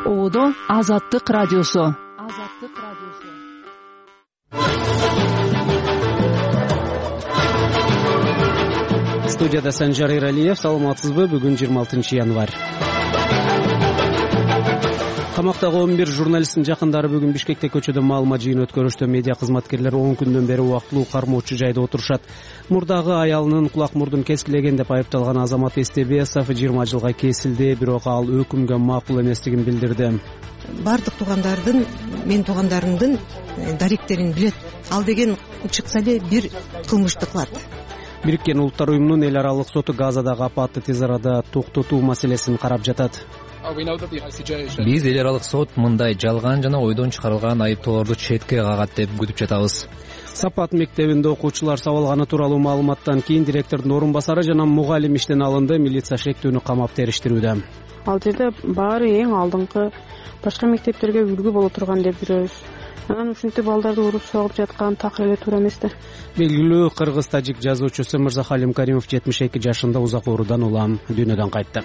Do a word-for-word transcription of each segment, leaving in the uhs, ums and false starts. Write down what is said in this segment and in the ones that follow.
Оодо Азаттык радиосу. Азаттык радиосу. Студияда Санжар Эралиев. Саламатсызбы? Бүгүн жыйырма алтынчы январь. Камактагы он бир журналисттин жакындары бүгүн Бишкекте көчөдө маалымат жыйын өткөрүштө. Медиа кызматкерлер он күндөн бери убактылуу кармоочу жайда отурушат. Мурдагы аялынын кулак мурдун кескилеген деп айыпталган Азамат Эстебесов жыйырма жылга кесилди, бирок ал өкүмгө макул эместигин билдирди. Бардык туугандардын, мен туугандарымдын даректерин билет. Ал деген чыкса эле бир кылмышты кылат. Бириккен Улуттар уюмунун эл аралык соту Газадагы апатты тез арада токтотуу маселесин карап жатат. Биз эл аралык сот мындай жалган жана ойдон чыгарылган айыптоолорду четке кагат деп күтүп жатабыз. Сапат мектебинде окуучулар сабалганы тууралуу маалыматтан кийин директордун орун басары жана мугалим иштен алынды. Милиция шектүүнү камап териштирүүдө. Ал жерде баары эң алдыңкы башка мектептерге үлгү боло турган деп жүрөбүз. Анан ушинтип балдарды уруп согуп жаткан такыр эле туура эмес да. Белгилүү кыргыз-тажик жазуучусу Мырзахалим Каримов жетимиш эки жашында узак оорудан улам дүйнөдөн кайтты.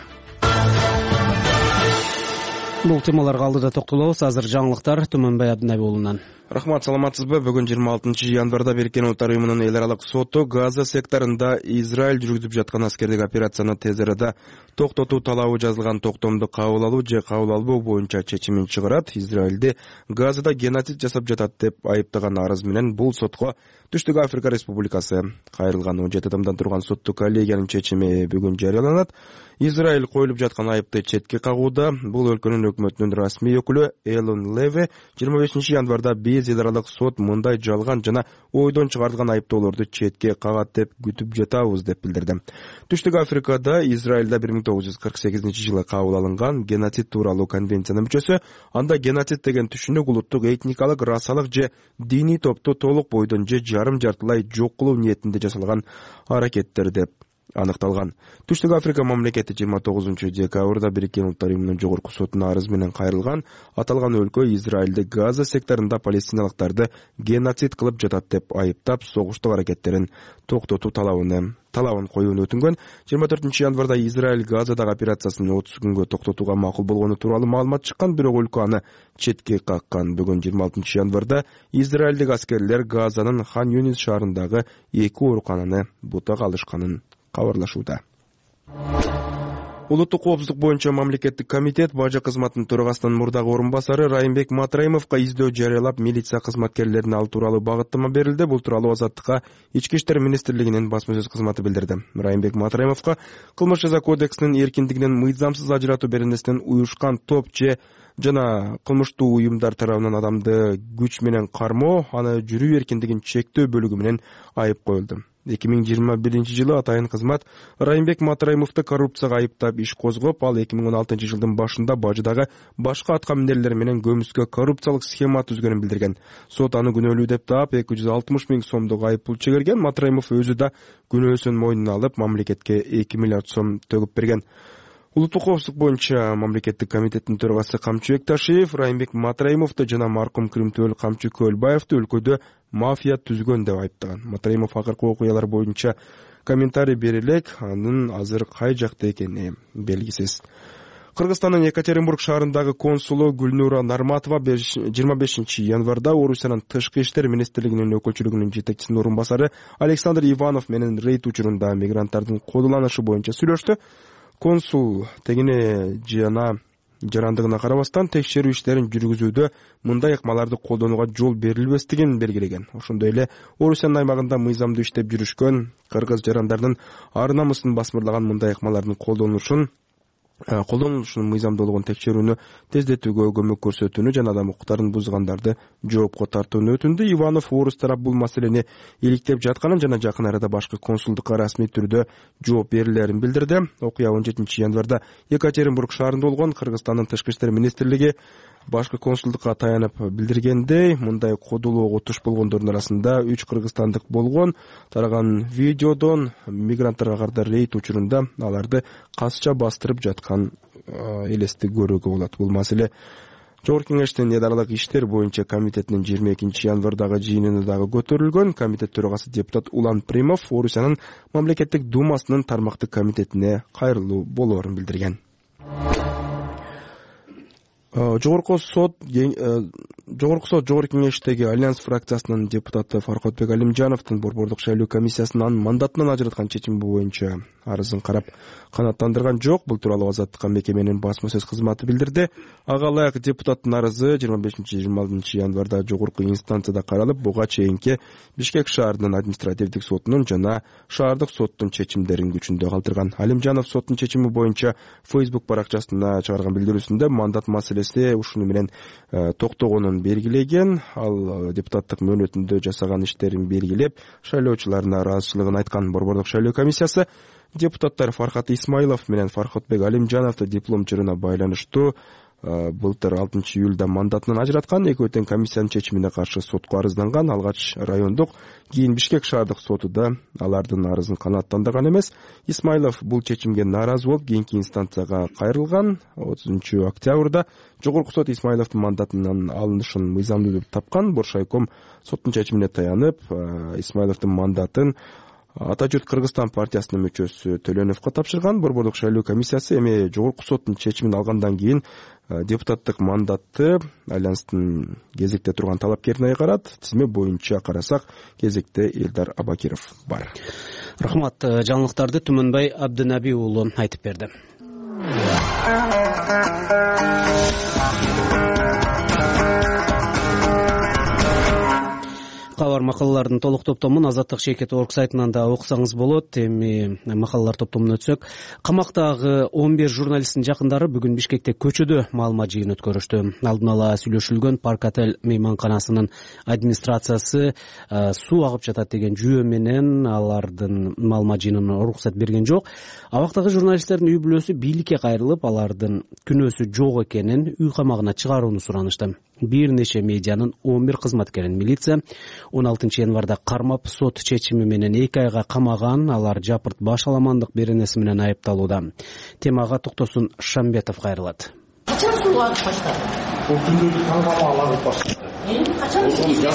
Бул темаларга алдыда токтолобуз. Азыр жаңылыктар Түмөнбай Абдынабай уулунан. Рахмат, саламатсызбы? Бүгүн жыйырма алтынчы январда Бириккен Улуттар уюмунун эл аралык соту Газа секторунда Израиль жүргүзүп жаткан аскердик операцияны тез арада токтотуу талабы жазылган токтомду кабыл алуу же кабыл албоо боюнча чечимин чыгарат. Израилди Газада геноцид жасап жатат деп айыптаган арыз менен бул сотко Түштүк Африка Республикасы кайрылган. он жети адамдан турган соттук коллегиянын чечими бүгүн жарыяланат. Израиль коюлуп жаткан айыпты четке кагууда. Бул өлкөнүн өкмөтүнүн расмий өкүлү Элон Леве жыйырма бешинчи январда биз эл аралык сот мындай жалган жана ойдон чыгарылган айыптоолорду четке кагат деп күтүп жатабыз деп билдирди. Түштүк Африкада Израилда бир миң тогуз жүз кырк сегизинчи жылы кабыл алынган геноцид тууралуу конвенциянын мүчөсү. Анда геноцид деген түшүнүк улуттук, этникалык, расалык же диний топту толук бойдон же жарым жартылай жок кылуу ниетинде жасалган аракеттер деп аныкталган. Түштүк Африка мамлекети жыйырма тогузунчу декабрда Бириккен Улуттар уюмунун жогорку сотуна арыз менен кайрылган. Аталган өлкө Израилди Газа секторунда палестиналыктарды геноцид кылып жатат деп айыптап, согуштук аракеттерин токтотуу талабын талабын коюуну өтүнгөн. жыйырма төртүнчү январда Израиль Газадагы операциясын отуз күнгө токтотууга макул болгону тууралуу маалымат чыккан, бирок өлкө аны четке каккан. Бүгүн жыйырма алтынчы январда Израилдик аскерлер Газанын Хан Юнис шаарындагы эки оорукананы бутага алышканын кабарлашууда. Улуттук коопсуздук боюнча мамлекеттик комитет бажы кызматынын төрагасынын мурдагы орун басары Райымбек Матраимовго издөө жарыялап, милиция кызматкерлерине ал тууралуу багыттама берилди. Бул тууралуу Азаттыкка Ички иштер министрлигинин басма сөз кызматы билдирди. Райымбек Матраимовго кылмыш жаза кодексинин эркиндигинен мыйзамсыз ажыратуу беренесинен уюшкан топ же жана кылмыштуу уюмдар тарабынан адамды күч менен кармоо, аны жүрүү эркиндигин чектөө бөлүгү менен айып коюлду. эки миң жыйырма биринчи жылы атайын кызмат Райымбек Матраимовду коррупцияга айыптап иш козгоп, ал эки миң он алтынчы жылдын башында бажыдагы башка аткаминерлер менен көмүскө коррупциялык схема түзгөнүн билдирген. Сот аны күнөөлүү деп таап эки жүз алтымыш миң сомдук айып пул чегерген. Матраимов өзү да күнөөсүн мойнуна алып, мамлекетке эки миллиард сом төгүп берген. Улуттук коопсуздук боюнча мамлекеттик комитеттин төрагасы Камчыбек Ташиев Райымбек Матраимовду жана маркум Кримтөөл Камчы Көлбаевди өлкөдө мафия түзгөн деп айыптаган. Матраимов акыркы окуялар боюнча комментарий бере элек, анын азыр кай жакта экени белгисиз. Кыргызстандын Екатеринбург шаарындагы консулу Гүлнура Нарматова жыйырма бешинчи январда Орусиянын тышкы иштер министрлигинин өкүлчүлүгүнүн жетекчисинин орун басары Александр Иванов менен рейд учурунда мигранттардын колдонулушу боюнча сүйлөштү. Консул тегине жана жарандыгына карабастан текшерүү иштерин жүргүзүүдө мындай ыкмаларды колдонууга жол берилбестигин белгилеген. Ошондой эле Орусиянын аймагында мыйзамдуу иштеп жүрүшкөн кыргыз жарандардын ар намысын басмырлаган мындай ыкмалардын колдонулушун колдонулушунун мыйзамдуу болгон текшерүүнү тездетүүгө көмөк көрсөтүүнү жана адам укуктарын бузгандарты жоопко тартууну өтүндү. Иванов орус тарап бул маселени иликтеп жатканын жана жакын арада башкы консулдукка расмий түрдө жооп берилерин билдирди. Окуя он жетинчи январда Екатеринбург шаарында болгон. Кыргызстандын тышкы иштер министрлиги башкы консулдукка таянып билдиргендей, мындай кодулоого туш болгондордун арасында үч кыргызстандык болгон. Тараган видеодон мигранттарга карата рейд учурунда аларды касча бастырып жаткан элести көрүүгө болот. Бул маселе Жогорку кеңештин эл аралык иштер боюнча комитетинин жыйырма экинчи январдагы жыйынында дагы көтөрүлгөн. Комитет төрагасы депутат Улан Примов Орусиянын мамлекеттик думасынын тармактык комитетине кайрылуу болоорун билдирген. жогорку сот жогорку сот жогорку кеңештеги Альянс фракциясынын депутаты Фаркотбек Алимжановдун борбордук шайлоо комиссиясынын мандатынан ажыраткан чечими боюнча арызын карап канааттандырган жок. Бул тууралуу Азаттыкка мекеменин басма сөз кызматы билдирди. Ага ылайык депутаттын арызы жыйырма бешинчи жыйырма алтынчы январда жогорку инстанцияда каралып, буга чейинки Бишкек шаарынын административдик сотунун жана шаардык соттун чечимдерин күчүндө калтырган. Алимжанов соттун чечими боюнча Facebook баракчасына чыгарган билдирүүсүндө мандат маселеси ушуну менен токтогонун белгилеген. Ал депутаттык мөөнөтүндө жасаган иштерин белгилеп, шайлоочулардын ыраазычылыгын айткан. Борбордук шайлоо комиссиясы депутаттар Фархат Исмайлов менен Фаркотбек Алимжановду диплом чырына байланыштуу былтыр алтынчы июлда мандатынан ажыраткан. Экөө тең комиссиянын чечимине каршы сотко арызданган. Алгач райондук, кийин Бишкек шаардык соту да алардын арызын канааттандырган эмес. Исмайлов бул чечимге нааразы болуп, кийинки инстанцияга кайрылган. отузунчу октябрда жогорку сот Исмайловдун мандатынан алынышын мыйзамдуу деп тапкан. Боршайком соттун чечимине таянып, Исмайловдун мандатын Ата журт Кыргызстан партиясынын мүчөсү Төлөновго тапшырган. Борбордук шайлоо комиссиясы эми жогорку соттун чечимин алгандан кийин депутаттык мандатты Альянстын кезекте турган талапкерине карат. Тизме боюнча карасак, кезекте Элдар Абакиров бар. Рахмат. Жаңылыктарды Түмөнбай Абдынаби уулу айтып берди. Кабар макалалардын толук топтомун Азаттык Шекет орг сайтынан да окусаңыз болот. Эми макалалар топтомуна өтсөк, камактагы он бир журналисттин жакындары бүгүн Бишкекте көчөдө маалымат жыйын өткөрүштү. Алдын ала сүйлөшүлгөн Парк Отель мейманканасынын администрациясы суу агып жатат деген жүйө менен алардын маалымат жыйынына уруксат берген жок. Абактагы журналисттердин үй бүлөсү бийликке кайрылып, алардын күнөөсү жок экенин, үй камагына чыгарууну суранышты. Бир нече медианын он бир кызматкерин милиция он алтынчы январда кармап, сот чечими менен эки айга камаган. Алар жапырт баш аламандык беренеси менен айыпталууда. Темага токтосун Шамбетов кайрылат. Качан сууга агып баштады? Бул күндү таңгама агып баштады. Качан сууга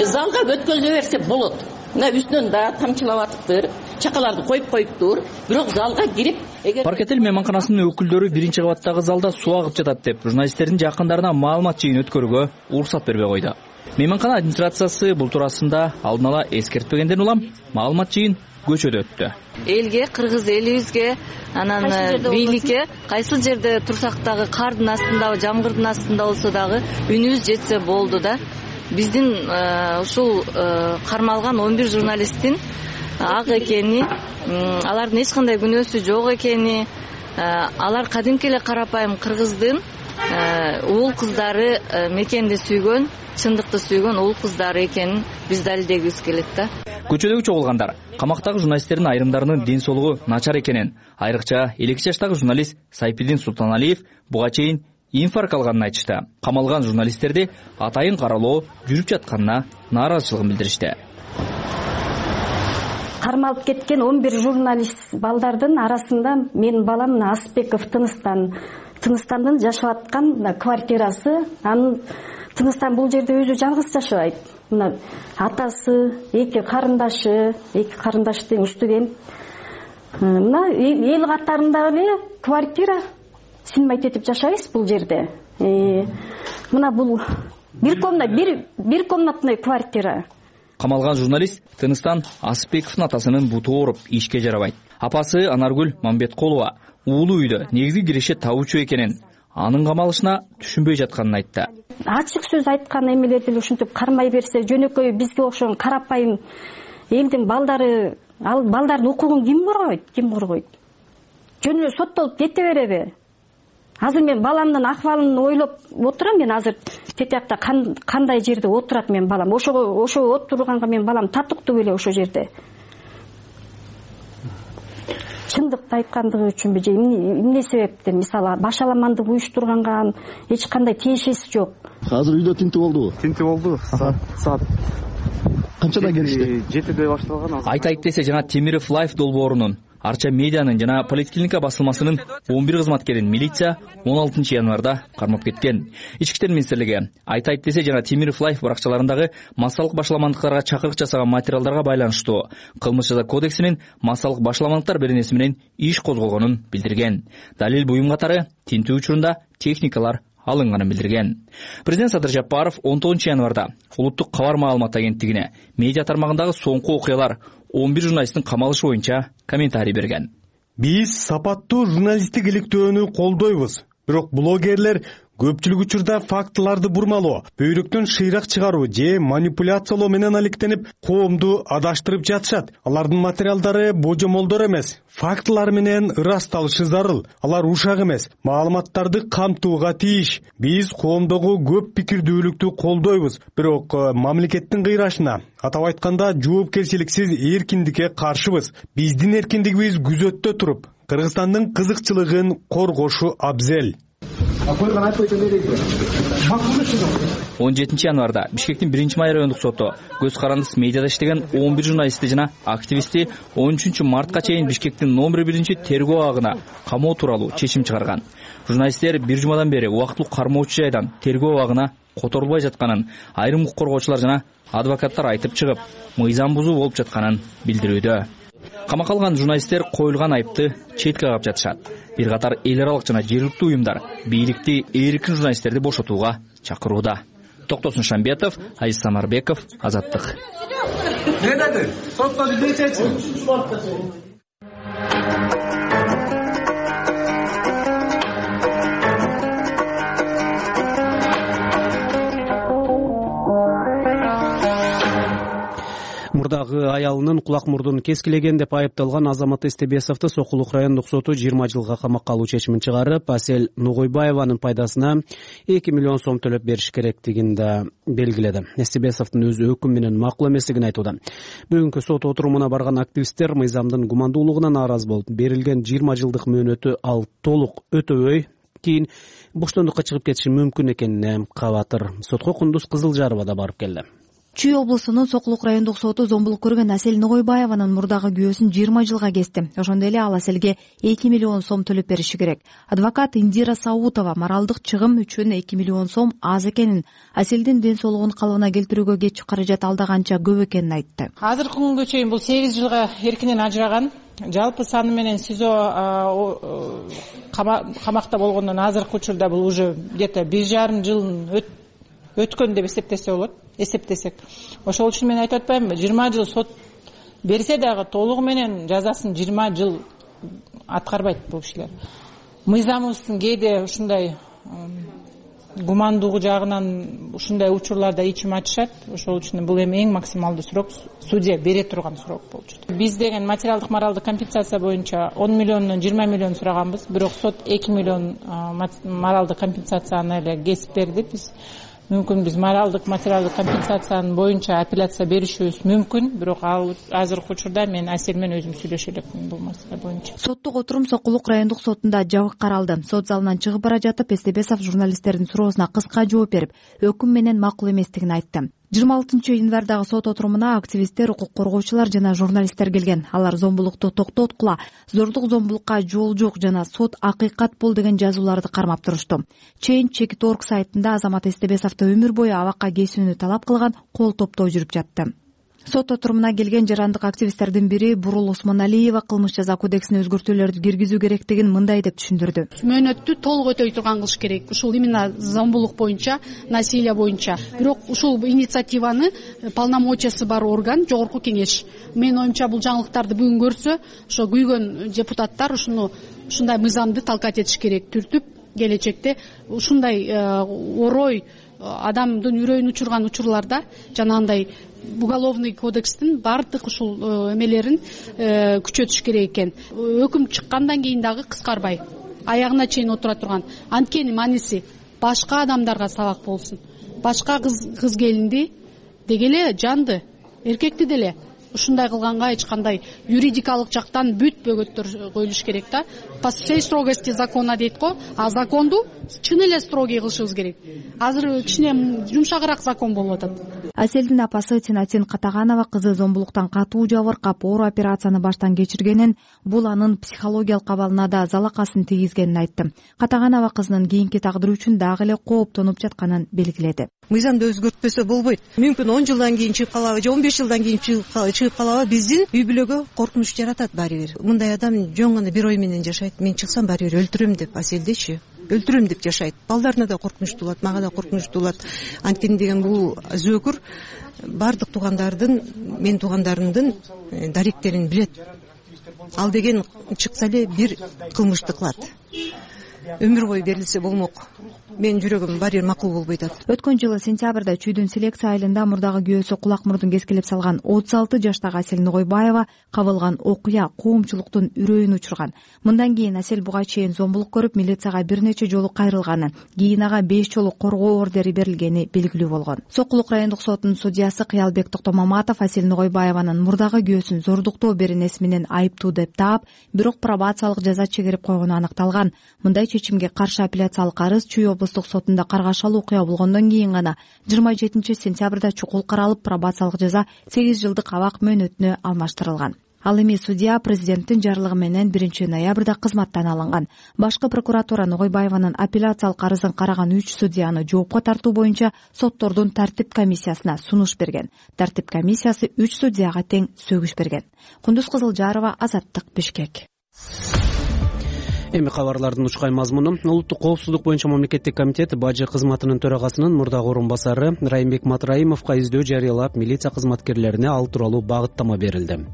залга өткөзө берсе болот. Мына үстүнөн да тамчылап атыптыр, чакаларды коюп коюптур, бирок залга кирип Парк Отель мейманканасынын өкүлдөрү биринчи кабаттагы залда суу агып жатат деп журналисттердин жакындарына маалымат жыйын өткөрүүгө уруксат бербей койду. Мейманкана администрациясы бул туурасында алдын ала эскертпегенден улам маалымат жыйын көчөдө өттү. Элге, кыргыз элибизге, анан бийликке кайсыл жерде турсак дагы кардын астында, жамгырдын астында болсо дагы үнүбүз жетсе болду да. Биздин ушул кармалган он бир журналисттин ак экени, алардын эч кандай күнөөсү жок экени, алар кадимки эле карапайым кыргыздын уул кыздары, мекенди сүйгөн, чындыкты сүйгөн уул кыздары экенин биз далилдегибиз келет да. Көчөдөгү чогулгандар камактагы журналисттердин айрымдарынын ден соолугу начар экенин, айрыкча элүү эки жаштагы журналист Сайпидин Султаналиев буга чейин инфаркт алганын айтышты. Камалган журналисттерди атайын каралоо жүрүп жатканына нааразычылыгын билдиришти. Кармалып кеткен он бир журналист балдардын арасында менин балам Асбеков Тыныстан Тыныстандын жашап аткан квартирасы. Анын Тыныстан бул жерде өзү жалгыз жашабайт. Мына атасы, эки карындашы, эки карындаш тең студент. Мына эл катарындагы эле квартира сынбайт этип жашайбыз бул жерде. Мына бул бир комната, бир бир комнатный квартира. Камалган журналист Тыныстан Асбековдун атасынын буту ооруп ишке жарабайт. Апасы Анаргүл Мамбеткулова уулу үйдө негизги киреше табуучу экенин, анын камалышына түшүнбөй жатканын айтты. Ачык сөз айткан эмелерди ушинтип кармай берсе, жөнөкөй бизге окшогон карапайым элдин балдары, ал балдардын укугун ким коргойт? Ким коргойт? Жөн эле соттолуп кете береби? Азыр мен баламдын акыбалын ойлоп отурам. Мен азыр тетиякта кандай жерде отурат мен балам. Ошого ошо отурганга мен балам татыктуу беле ошо жерде. Чындыкты айткандыгы үчүнбү же эмне себептен? Мисалы баш аламандык уюштурганга эч кандай тиешеси жок. Азыр үйдө тинтүү болду. Тинтүү болду. Саат канчада келишти? жетиде башталган. Айтайык десе жана Темиров Лайф долбоорунун Арча медианын жана поликлиника басылмасынын он бир кызматкерин милиция он алтынчы январда кармап кеткен. Ички иштер министрлиги Айтайт десе жана Темиров Лайф баракчаларындагы массалык башаламандыктарга чакырык жасаган материалдарга байланыштуу кылмыш жаза кодексинин массалык башаламандыктар беренеси менен иш козголгонун билдирген. Далил буюм катары тинтүү учурунда техникалар алынганын билдирген. Президент Садыр Жапаров он тогузунчу январда улуттук кабар маалымат агенттигине медиа тармагындагы соңку окуялар он бир журналисттин камалышы боюнча комментарий берген. Биз сапаттуу журналисттик иликтөөнү колдойбуз. Бирок блогерлер көпчүлүк учурда фактыларды бурмалоо, бөйрөктөн шыйрак чыгаруу же манипуляциялоо менен алектенип, коомду адаштырып жатышат. Алардын материалдары божомолдор эмес, фактылар менен ырасталышы зарыл. Алар ушак эмес, маалыматтарды камтууга тийиш. Биз коомдогу көп пикирдүүлүктү колдойбуз, бирок мамлекеттин кыйрашына, атап айтканда жоопкерчиликсиз эркиндикке каршыбыз. Биздин эркиндигибиз күзөттө туруп, Кыргызстандын кызыкчылыгын коргошу абзел. он жетинчи январда Бишкектин биринчи май райондук соту көз карандысыз медиада иштеген он бир журналистти жана активистти он үчүнчү мартка чейин Бишкектин номер биринчи тергөө абагына камоо тууралуу чечим чыгарган. Журналисттер бир жумадан бери убактылуу кармоочу жайдан тергөө абагына которулбай жатканын айрым укук коргоочулар жана адвокаттар айтып чыгып, мыйзам бузуу болуп жатканын билдирүүдө. Камакка алган журналисттер коюлган айыпты четке кагып жатышат. Бир катар эл аралык жана жергиликтүү уюмдар бийликти эркин журналисттерди бошотууга чакырууда. Токтосун Шамбетов, Азиз Самарбеков, Азаттык. Мурдагы аялынын кулак мурдун кескилеген деп айыпталган Азамат Эстебесовду Сокулук райондук соту жыйырма жылга камакка алуу чечимин чыгарып, Асель Нугойбаеванын пайдасына эки миллион сом төлөп бериш керектигин да белгиледи. Эстебесовдун өзү өкүм менен макул эместигин айтууда. Бүгүнкү сот отурумуна барган активисттер мыйзамдын гумандуулугуна нааразы болуп, берилген жыйырма жылдык мөөнөтү ал толук өтөбөй кийин боштондукка чыгып кетиши мүмкүн экенине кабатыр. Сотко Кундуз Кызылжарова да барып келди. Чүй облусунун Сокулук райондук соту зомбулук көргөн Асель Нугойбаеванын мурдагы күйөөсүн жыйырма жылга кести. Ошондой эле ал Аселге эки миллион сом төлөп бериши керек. Адвокат Индира Саутова моралдык чыгым үчүн эки миллион сом аз экенин, Аселдин ден соолугун калыбына келтирүүгө кетчү каражат алдаганча көп экенин айтты. Азыркы күнгө чейин бул сегиз жылга эркинен ажыраган. Жалпы саны менен СИЗО камакта болгондон азыркы учурда бул уже где-то бир жарым жыл өткөн деп эсептесе болот. Эсептесек. Ошол үчүн мен айтып атпаймынбы, жыйырма жыл сот берсе дагы толугу менен жазасын жыйырма жыл аткарбайт бул кишилер. Мыйзамыбыздын кээде ушундай гумандуулугу жагынан ушундай учурларда ичим ачышат. Ошол үчүн бул эми эң максималдуу срок судья бере турган срок болчу. Биз деген материалдык моралдык компенсация боюнча он миллиондон жыйырма миллион сураганбыз, бирок сот эки миллион моралдык компенсацияны эле кесип берди. Биз мүмкүн биз моралдык материалдык компенсациянын боюнча апелляция беришибиз мүмкүн, бирок ал азыркы учурда мен Асель менен өзүм сүйлөшө элекмин бул маселе боюнча. Соттук отурум Сокулук райондук сотунда жабык каралды. Сот залынан чыгып бара жатып Эстебесов журналисттердин суроосуна кыска жооп берип, өкүм менен макул эместигин айтты. жыйырма алтынчы январдагы сот отурумуна активисттер, укук коргоочулар жана журналисттер келген. Алар зомбулукту токтоткула, зордук зомбулукка жол жок жана сот акыйкат бул деген жазууларды кармап турушту. Change чек точка org сайтында Азамат Эстебесовду өмүр бою абакка кесүүнү талап кылган кол топтоо жүрүп жатты. Сот отурумуна келген жарандык активисттердин бири Бурул Осмоналиева кылмыш жаза кодексине өзгөртүүлөрдү киргизүү керектигин мындай деп түшүндүрдү. Мөөнөттү толук өтөй турган кылыш керек. Ушул именно зомбулук боюнча, насилие боюнча. Бирок ушул инициативаны полномочиясы бар орган Жогорку кеңеш. Менин оюмча бул жаңылыктарды бүгүн көрсө, ошо күйгөн депутаттар ушуну ушундай мыйзамды талкат этиш керек. Түртүп келечекте ушундай орой адамдын үрөйүн учурган учурларда жанагындай уголовный кодекстин бардык ушул эмелерин күчөтүш керек экен. Өкүм чыккандан кийин дагы кыскарбай, аягына чейин отура турган. Анткени мааниси башка адамдарга сабак болсун. Башка кыз кыз келинди дегеле жанды, эркекти деле ушундай кылганга эч кандай юридикалык жактан бүт бөгөттөр коюлуш керек да. По всей строгости закона дейт го, а законду чын эле строгий кылышыбыз керек. Азыр кичине жумшагыраак закон болуп атат. Аселдин апасы Тинатин Катаганова кызы зомбулуктан катуу жабыркап оор операцияны баштан кечиргенин, бул анын психологиялык абалына да залакасын тийгизгенин айтты. Катаганова кызынын кийинки тагдыры үчүн дагы эле кооптонуп жатканын белгиледи. Мыйзамды өзгөртпөсө болбойт. Мүмкүн он жылдан кийин чыгып калабы же он беш жылдан кийин чыгып калабы, биздин үй бүлөгө коркунуч жаратат баары бир. Мындай адам жөн гана бир ой менен жашайт. Мен чыксам баары бир өлтүрөм деп, Аселдечи өлтүрөм деп жашайт. Балдарына да коркунучтуу болот, мага да коркунучтуу болот. Анткени деген бул зөөкүр баардык туугандардын, мен туугандарымдын даректерин билет. Ал деген чыкса эле бир кылмышты кылат. Өмүр бою берилсе болмок. Менин жүрөгүм баары бир макул болбойт атат. Өткөн жылы сентябрда Чүйдүн селекция айылында мурдагы күйөөсү кулак мурдун кескилеп салган отуз алты жаштагы Асел Ногойбаева кабылган окуя коомчулуктун үрөйүн учурган. Мындан кийин Асел буга чейин зомбулук көрүп, милицияга бир нече жолу кайрылганы, кийин ага беш жолу коргоо ордери берилгени белгилүү болгон. Сокулук райондук сотунун судьясы Кыялбек Токтомаматов Асел Ногойбаеванын мурдагы күйөөсүн зордуктоо беренеси менен айыптуу деп таап, бирок пробациялык жаза чегирип койгону аныкталган. Мындай чечимге каршы апелляциялык арыз Чүй облустук сотунда каргашалы окуя болгондон кийин гана жыйырма жетинчи сентябрда чукул каралып, пробациялык жаза сегиз жылдык абак мөөнөтүнө алмаштырылган. Ал эми судья президенттин жарлыгы менен биринчи ноябрда кызматтан алынган. Башкы прокуратура Ногойбаеванын апелляциялык арызын караган үч судьяны жоопко тартуу боюнча соттордун тартип комиссиясына сунуш берген. Тартип комиссиясы үч судьяга тең сөгүш берген. Кундуз Кызылжарова, Азаттык, Бишкек. Эми кабарлардын учкай мазмуну. Улуттук коопсуздук боюнча мамлекеттик комитет бажы кызматынын төрагасынын мурдагы орун басары Райымбек Матраимовго издөө жарыялап, милиция кызматкерлерине ал тууралуу багыттама берилди.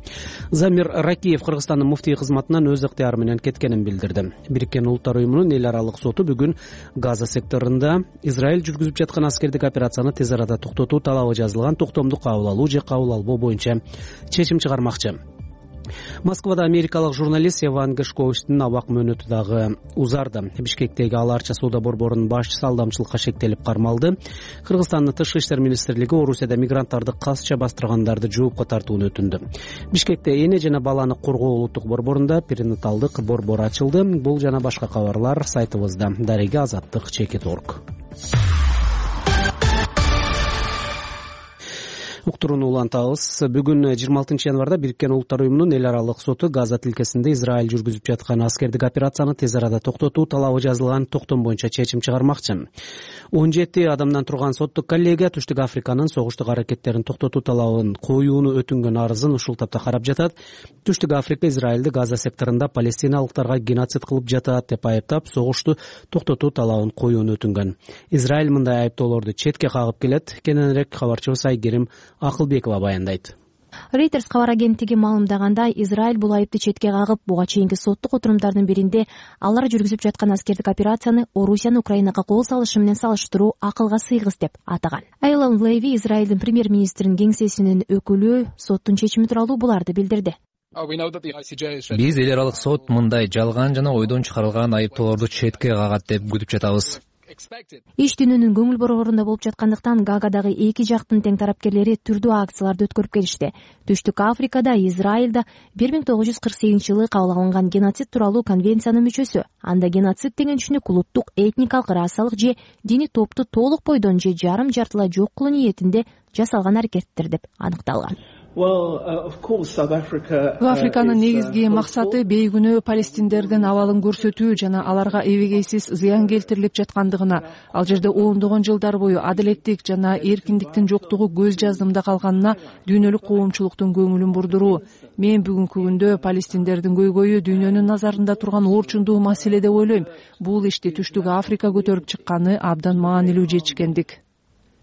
Замир Ракиев Кыргызстандын муфтий кызматынан өз ыктыяры менен кеткенин билдирди. Бириккен Улуттар уюмунун эл аралык соту бүгүн Газа секторунда Израиль жүргүзүп жаткан аскердик операцияны тез арада токтотуу талабы жазылган токтомду кабыл алуу же кабыл албоо боюнча чечим чыгармакчы. Москвада америкалык журналист Еван Гешковичтин абак мөөнөтү дагы узарды. Бишкектеги Ала Арча соода борборунун башчысы алдамчылыкка шектелип кармалды. Кыргызстандын тышкы иштер министрлиги Орусияда мигранттарды касча бастыргандарды жоопко тартууну өтүндү. Бишкекте эне жана баланы коргоо улуттук борборунда перинаталдык борбор ачылды. Бул жана башка кабарлар сайтыбызда. Дареги Азаттык чекит точка орг. Уктурууну улантабыз. Бүгүн жыйырма алтынчы январда Бириккен Улуттар уюмунун эл аралык соту Газа тилкесинде Израиль жүргүзүп жаткан аскердик операцияны тез арада токтотуу талабы жазылган токтом боюнча чечим чыгармакчы. он жети адамдан турган соттук коллегия Түштүк Африканын согуштук аракеттерин токтотуу талабын коюуну өтүнгөн арызын ушул тапта карап жатат. Түштүк Африка Израилди Газа секторунда палестиналыктарга геноцид кылып жатат деп айыптап, согушту токтотуу талабын коюуну өтүнгөн. Израиль мындай айыптоолорду четке кагып келет. Кененирээк кабарчыбыз Айгерим Акылбекова баяндайт. Reuters кабар агенттиги маалымдагандай, Израиль бул айыпты четке кагып, буга чейинки соттук отурумдардын биринде алар жүргүзүп жаткан аскердик операцияны Орусиянын Украинага кол салышы менен салыштыруу акылга сыйгыс деп атаган. Эйлон Леви, Израилдин премьер-министринин кеңсесинин өкүлү, соттун чечими тууралуу буларды билдирди. Биз эл аралык сот мындай жалган жана ойдон чыгарылган айыптоолорду четке кагат деп күтүп жатабыз. Иш түнүнүн көңүл борборунда болуп жаткандыктан Гаагадагы эки жактын тең тарапкерлери түрдүү акцияларды өткөрүп келишти. Түштүк Африкада Израилда бир миң тогуз жүз кырк сегизинчи жылы кабыл алынган геноцид тууралуу конвенциянын мүчөсү. Анда геноцид деген түшүнүк улуттук, этникалык, расалык же диний топту толук бойдон же жарым жартылай жок кылуу ниетинде жасалган аракеттер деп аныкталган. Африканын негизги максаты бейгүнөө палестиндердин абалын көрсөтүү жана аларга эбегейсиз зыян келтирилип жаткандыгына, ал жерде ондогон жылдар бою адилеттик жана эркиндиктин жоктугу көз жаздымда калганына дүйнөлүк коомчулуктун көңүлүн бурдуруу. Мен бүгүнкү күндө палестиндердин көйгөйү дүйнөнүн назарында турган орчундуу маселе деп ойлойм. Бул ишти Түштүк Африка көтөрүп чыкканы абдан маанилүү жетишкендик,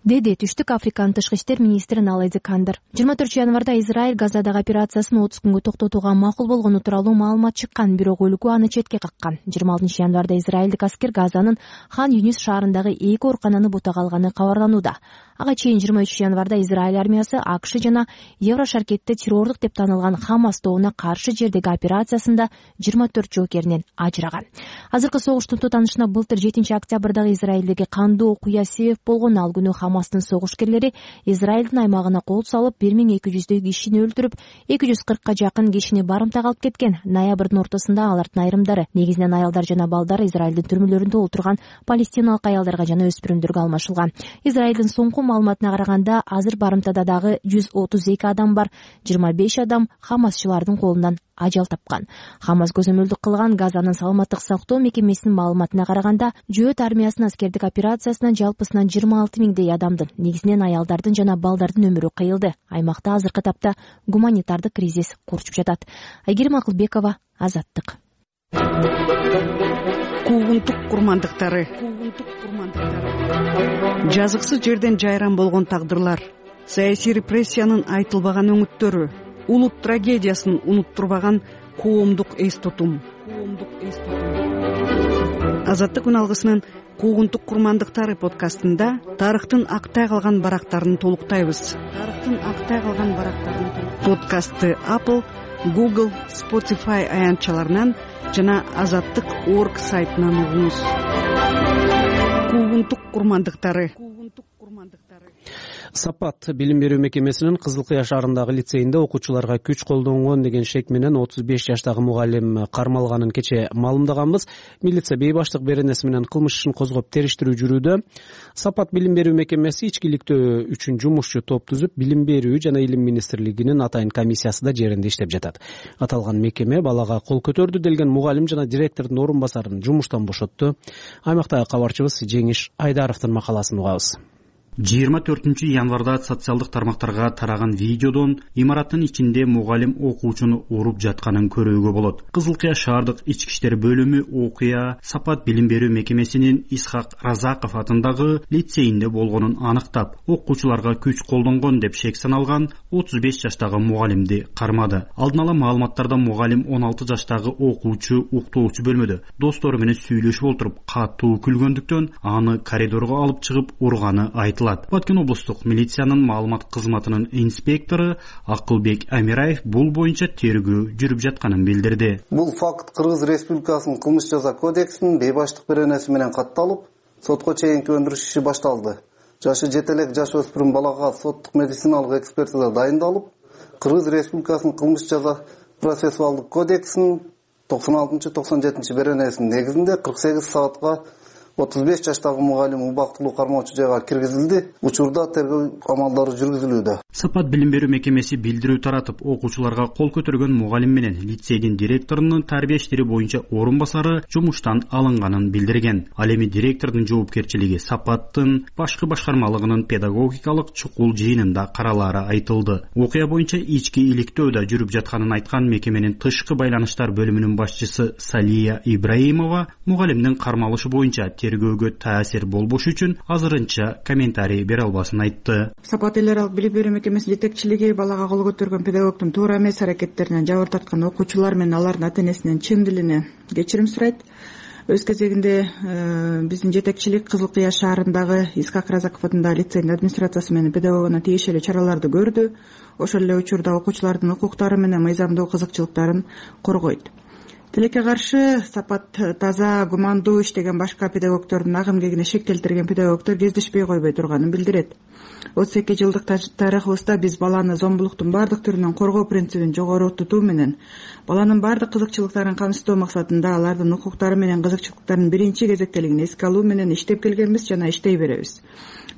деди Түштүк Африканын тышкы иштер министри Наледи Кандыр. жыйырма төртүнчү январда Израиль Газадагы операциясын отуз күнгө токтотууга макул болгону тууралуу маалымат чыккан, бирок өлкө аны четке каккан. жыйырма алтынчы январда израилдик аскер Газанын Хан Юнис шаарындагы эки оорукананы бутага алганы кабарланууда. Ага чейин жыйырма үчүнчү январда Израиль армиясы АКШ жана Еврошаркетте террордук деп таанылган Хамас тобуна каршы жердеги операциясында жыйырма төрт жоокеринен ажыраган. Азыркы согуштун тутанышына былтыр жетинчи октябрдагы Израилдеги кандуу окуя себеп болгон. Ал күнү Хамастын согушкерлери Израилдин аймагына кол салып, бир миң эки жүздөй кишини өлтүрүп, эки жүз кыркка жакын кишини барымтага алып кеткен. Ноябрдын ортосунда алардын айрымдары, негизинен аялдар жана балдар, Израилдин түрмөлөрүндө отурган палестиналык аялдарга жана өспүрүмдөргө алмашылган. Израилдин соңку окуу маалыматына караганда азыр барымтада дагы жүз отуз эки адам бар. жыйырма беш адам хамасчылардын колунан ажал тапкан. Хамас көзөмөлдүк кылган Газанын саламаттык сактоо мекемесинин маалыматына караганда жөөт армиясынын аскердик операциясынан жалпысынан жыйырма алты миңдей адамдын, негизинен аялдардын жана балдардын өмүрү кыйылды. Аймакта азыркы тапта гуманитардык кризис курчуп жатат. Айгерим Акылбекова, Азаттык. Куугунтук курмандыктары. Жазыксыз жерден жайран болгон тагдырлар, саясий репрессиянын айтылбаган өңүттөрү, улут трагедиясын унуттурбаган коомдук эс тутум. Азаттык күн алгысынын Куугунтук курмандыктары подкастында тарыхтын актай калган барактарын толуктайбыз. Тарыхтын актай калган барактарын подкастты Apple, Google, Spotify аянтчаларынан жана азаттык точка орг сайтынан угуңуз. Куугунтук курмандыктары. Сапат билим берүү мекемесинин Кызыл Кыя шаарындагы лицейинде окуучуларга күч колдонгон деген шек менен отуз беш жаштагы мугалим кармалганын кече маалымдаганбыз. Милиция бей баштык беренеси менен кылмыш ишин козгоп териштирүү жүрүүдө. Сапат билим берүү мекемеси ичкиликтөө үчүн жумушчу топ түзүп, билим берүү жана илим министрлигинин атайын комиссиясы да жеринде иштеп жатат. Аталган мекеме балага кол көтөрдү делген мугалим жана директордун орун басарын жумуштан бошотту. Аймактагы кабарчыбыз Жеңиш Айдаровдун макаласын угабыз. жыйырма төртүнчү январда социалдык тармактарга тараган видеодон имараттын ичинде мугалим окуучуну уруп жатканын көрүүгө болот. Кызыл Кыя шаардык ички иштер бөлүмү окуя Сапат билим берүү мекемесинин Исхак Разаков атындагы лицейинде болгонун аныктап, окуучуларга күч колдонгон деп шек саналган отуз беш жаштагы мугалимди кармады. Алдын ала маалыматтарда мугалим он алты жаштагы окуучу уктоочу бөлмөдө достору менен сүйлөшүп отуруп катуу күлгөндүктөн аны коридорго алып чыгып урганы айтылат. Баткен облустук милициянын маалымат кызматынын инспектору Акылбек Амираев бул боюнча тергөө жүрүп жатканын билдирди. Бул факт Кыргыз Республикасынын кылмыш жаза кодексинин бейбаштык беренеси менен катталып, сотко чейинки өндүрүш иши башталды. Жашы жете элек жаш өспүрүм балага соттук медициналык экспертиза дайындалып, Кыргыз Республикасынын кылмыш жаза процессуалдык кодексинин токсон алтынчы токсон жетинчи беренесинин негизинде кырк сегиз саатка отуз беш жаштагы мугалим убактылуу кармоочу жайга киргизилди. Учурда тергөө амалдары жүргүзүлүүдө. Сапат билим берүү мекемеси билдирүү таратып, окуучуларга кол көтөргөн мугалим менен лицейдин директорунун тарбия иштери боюнча орун басары жумуштан алынганын билдирген. Ал эми директордун жоопкерчилиги Сапаттын башкы башкармалыгынын педагогикалык чукул жыйынында каралаары айтылды. Окуя боюнча ички иликтөөдө жүрүп жатканын айткан мекеменин тышкы байланыштар бөлүмүнүн башчысы Салия Ибраимова мугалимдин кармалышы боюнча тергөөгө таасир болбош үчүн азырынча комментарий бере албасын айтты. Сапат эл аралык билим берүү мекемесинин жетекчилиги балага кол көтөргөн педагогдун туура эмес аракеттеринен жабыр тарткан окуучулар менен алардын ата-энесинен чын дилине кечирим сурайт. Өз кезегинде биздин жетекчилик Кызыл Кыя шаарындагы Исхак Разаков атындагы лицейдин администрациясы менен педагогуна тиешелүү чараларды көрдү. Ошол эле учурда окуучулардын укуктары менен мыйзамдуу кызыкчылыктарын коргойт. Тилекке каршы Сапат таза, гумандуу иштеген башка педагогдордун агым кегине шек келтирген педагогдор кездешпей койбой турганын билдирет. отуз эки жылдык тарыхыбызда биз баланы зомбулуктун бардык түрүнөн коргоо принцибин жогору тутуу менен баланын бардык кызыкчылыктарын камсыздоо максатында алардын укуктары менен кызыкчылыктарынын биринчи кезектелигин эске алуу менен иштеп келгенбиз жана иштей беребиз.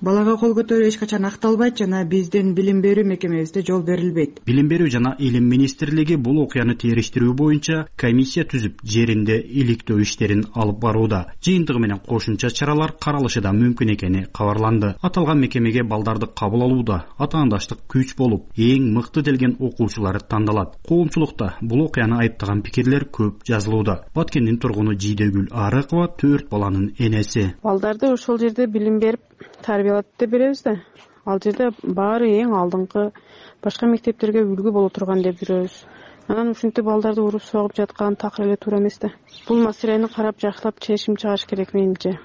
Балага кол көтөрүү эч качан акталбайт жана биздин билим берүү мекемебизде жол берилбейт. Билим берүү жана илим министрлиги бул окуяны териштирүү боюнча комиссия түзүп, жеринде иликтөө иштерин алып барууда. Жыйынтыгы менен кошумча чаралар каралышы да мүмкүн экени кабарланды. Аталган мекемеге балдарды кабыл алууда атаандаштык күч болуп, эң мыкты делген окуучулар тандалат. Коомчулукта бул окуяны айыптаган пикирлер көп жазылууда. Баткендин тургуну Жидегүл Арыкова төрт баланын энеси. Балдарды ошол жерде билим берип тарбиялап деп беребиз да. Ал жерде баары эң алдыңкы башка мектептерге үлгү боло турган деп жүрөбүз. Анан ушинтип балдарды уруп согуп жаткан такыр эле туура эмес да. Бул маселени карап жакшылап чечим чыгыш керек менимче.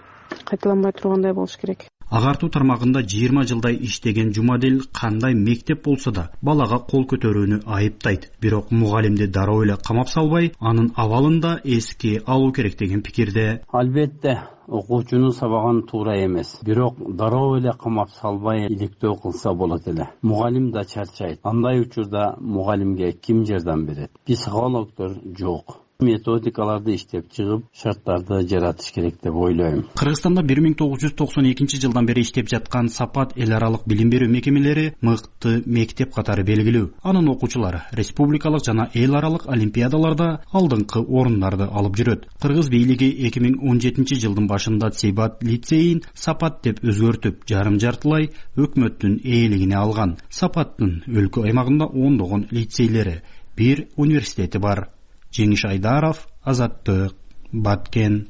Кайталанбай тургандай болуш керек. Агартуу тармагында жыйырма жылдай иштеген Жумадил кандай мектеп болсо да балага кол көтөрүүнү айыптайт. Бирок мугалимди дароо эле камап салбай, анын абалын да эске алуу керек деген пикирде. Албетте, окуучуну сабаган туура эмес. Бирок дароо эле камап салбай иликтөө кылса болот эле. Мугалим да чарчайт. Андай учурда мугалимге ким жардам берет? Психологдор жок. методикаларды иштеп чыгып шарттарды жаратыш керек деп ойлойм. Кыргызстанда бир миң тогуз жүз токсон экинчи жылдан бери иштеп жаткан Сапат эл аралык билим берүү мекемелери мыкты мектеп катары белгилүү. Анын окуучулары республикалык жана эл аралык олимпиадаларда алдыңкы орундарды алып жүрөт. Кыргыз бийлиги эки миң он жетинчи жылдын башында Сейбат лицейин Сапат деп өзгөртүп, жарым жартылай өкмөттүн ээлигине алган. Сапаттын өлкө аймагында ондогон лицейлери, бир университети бар. Жеңиш Айдаров, Азаттык, Баткен.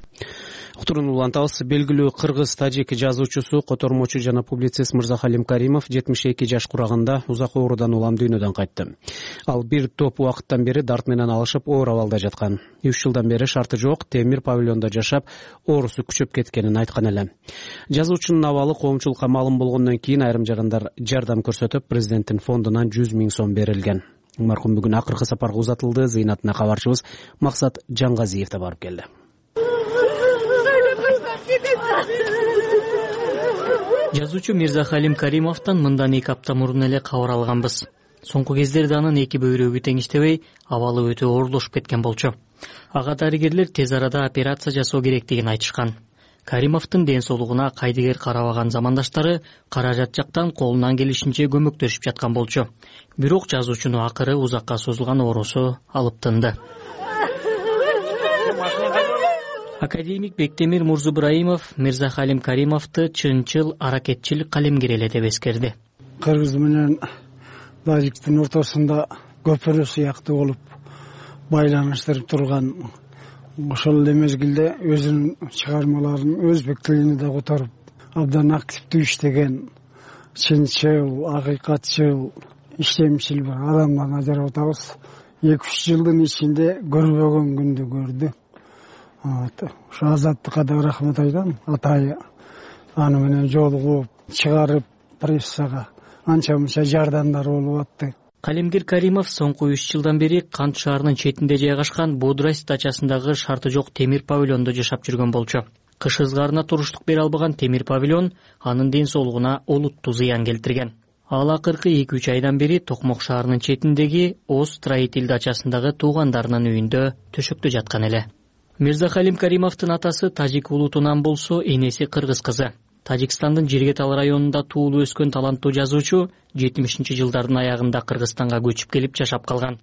Уктурууну улантабыз. Белгилүү кыргыз-тажик жазуучусу, котормочу жана публицист Мырзахалим Каримов жетимиш эки жаш курагында узак оорудан улам дүйнөдөн кайтты. Ал бир топ убакыттан бери дарт менен алышып оор абалда жаткан. үч жылдан бери шарты жок темир павильондо жашап, оорусу күчөп кеткенин айткан эле. Жазуучунун абалы коомчулукка маалым болгондон кийин айрым жагындар жардам көрсөтүп, президенттин фондунан жүз миң сом берилген. Маркум бүгүн акыркы сапарга узатылды. Зыйнатына кабарчыбыз Максат Жаңгазиев да барып келди. Жазуучу Мирзахалим Каримовдон мындан эки апта мурун эле кабар алганбыз. Соңку кездерде анын эки бөйрөгү тең иштебей, абалы өтө оорлошуп кеткен болчу. Ага дарыгерлер тез арада операция жасоо керектигин айтышкан. Каримовдун ден соолугуна кайдыгер карабаган замандаштары каражат жактан колунан келишинче көмөктөшүп жаткан болчу. Бирок жазуучуну акыры узакка созулган оорусу алып тынды. Академик Бектемир Мурзубраимов Мирзахалим Каримовду чынчыл аракетчил калемгер эле деп эскерди. Кыргыз менен тажиктин ортосунда көпүрө сыяктуу болуп байланыштырып турган, ошол эле мезгилде өзүнүн чыгармаларын өзбек тилине да которуп абдан активдүү иштеген, чынчыл, акыйкатчыл, иштемчил бир адамдан ажырап атабыз. эки үч жылдын ичинде көрбөгөн күндү көрдү. Ошо Азаттыкка да рахмат айтам. Атайы аны менен жолугуп, чыгарып прессага анча мынча жардамдар болуп атты. Калемгер Каримов соңку үч жылдан бери Кант шаарынын четинде жайгашкан Бодрайс дачасындагы шарты жок темир павильондо жашап жүргөн болчу. Кыш ызгаарына туруштук бере албаган темир павильон анын ден соолугуна олуттуу зыян келтирген. Ал акыркы эки үч айдан бери Токмок шаарынын четиндеги Оз строитель дачасындагы туугандарынын үйүндө төшөктө жаткан эле. Мирзахалим Каримовдун атасы тажик улутунан болсо, энеси кыргыз кызы. Тажикстандын Жиргетал районунда туулуп өскөн таланттуу жазуучу жетимишинчи жылдардын аягында Кыргызстанга көчүп келип жашап калган.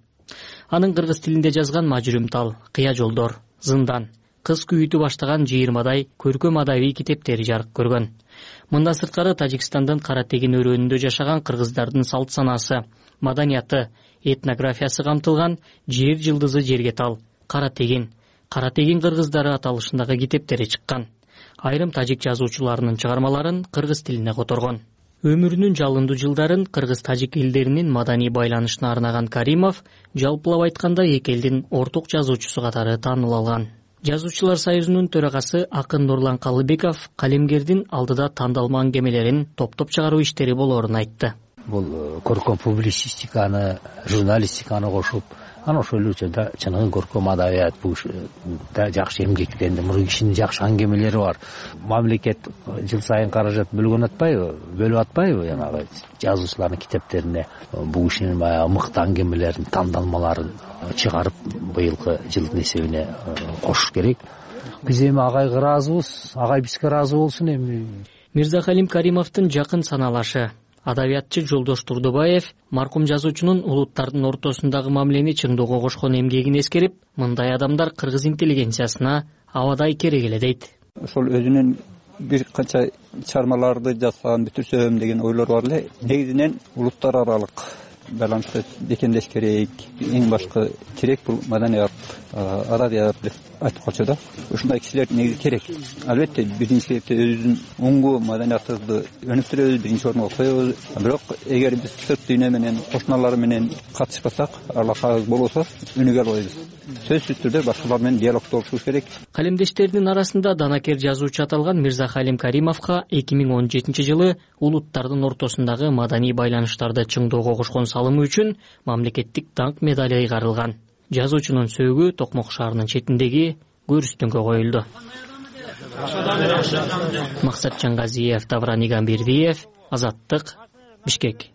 Анын кыргыз тилинде жазган Мажүрүм тал, Кыя жолдор, Зындан, Кыз күйүтү баштаган жыйырмадай көркөм адабий китептери жарык көргөн. Мындан сырткары Тажикстандын Кара Тегин өрөөнүндө жашаган кыргыздардын салт санаасы, маданияты, этнографиясы камтылган Жер жылдызы жерге тал, Кара Тегин, Кара Тегин кыргыздары аталышындагы китептери чыккан. Айрым тажик жазуучуларынын чыгармаларын кыргыз тилине которгон. Өмүрүнүн жалындуу жылдарын кыргыз-тажик элдеринин маданий байланышына арнаган Каримов жалпылап айтканда эки элдин орток жазуучусу катары тааныл алган. Жазуучулар союзунун төрагасы акын Нурлан Калыбеков калемгердин алдыда тандалма аңгемелерин топтоп чыгаруу иштери болоорун айтты. Бул көркөм публицистиканы, журналистиканы кошуп, анан ошол эле учурда чыныгы көркөм адабият бул да жакшы эмгектенди. Муну кишинин жакшы аңгемелери бар. Мамлекет жыл сайын каражат бөлгөн атпайбы, бөлүп атпайбы жанагы жазуучулардын китептерине бул кишинин баягы мыкты аңгемелерин, тандалмаларын чыгарып быйылкы жылдын эсебине кошуш керек. Биз эми агайга ыраазыбыз, агай бизге ыраазы болсун эми. Мирзахалим Каримовдун жакын саналашы адабиятчы Жолдош Турдубаев маркум жазуучунун улуттардын ортосундагы мамилени чыңдоого кошкон эмгегин эскерип, мындай адамдар кыргыз интеллигенциясына абадай керек эле дейт. Ошол өзүнүн бир канча чыгармаларды жазсам, бүтүрсөм деген ойлор бар эле. Негизинен улуттар аралык байланышты бекемдеш керек. Эң башкы керек бул маданият, адабият деп айтып калчу да. Ушундай кишилер негизи керек. Албетте биринчи кезекте өзүбүздүн оңгу маданиятыбызды өнүктүрөбүз, биринчи орунга коебуз. Бирок эгер биз сырт дүйнө менен, кошуналар менен катышпасак, алакабыз болбосо өнүгө албайбыз. Сөзсүз түрдө башкалар менен диалогдо болушубуз керек. Калемдештердин арасында данакер жазуучу аталган Мирзахалим Каримовго эки миң он жетинчи жылы улуттардын ортосундагы маданий байланыштарды чыңдоого кошкон салымы үчүн мамлекеттик даңк медали ыйгарылган. Жазуучунун сөөгү Токмок шаарынын четиндеги көрүстөнгө коюлду. Максат Жаңгазиев, Давран Игамбердиев, Азаттык, Бишкек.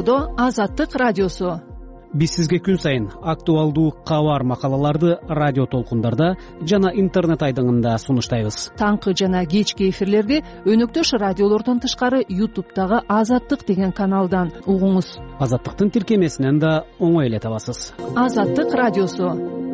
жашоодо Азаттык радиосу. Биз сизге күн сайын актуалдуу кабар макалаларды радио толкундарда жана интернет айдыңында сунуштайбыз. Таңкы жана кечки эфирлерди өнөктөш радиолордон тышкары ютубтагы Азаттык деген каналдан угуңуз. Азаттыктын тиркемесинен да оңой эле табасыз. Азаттык радиосу.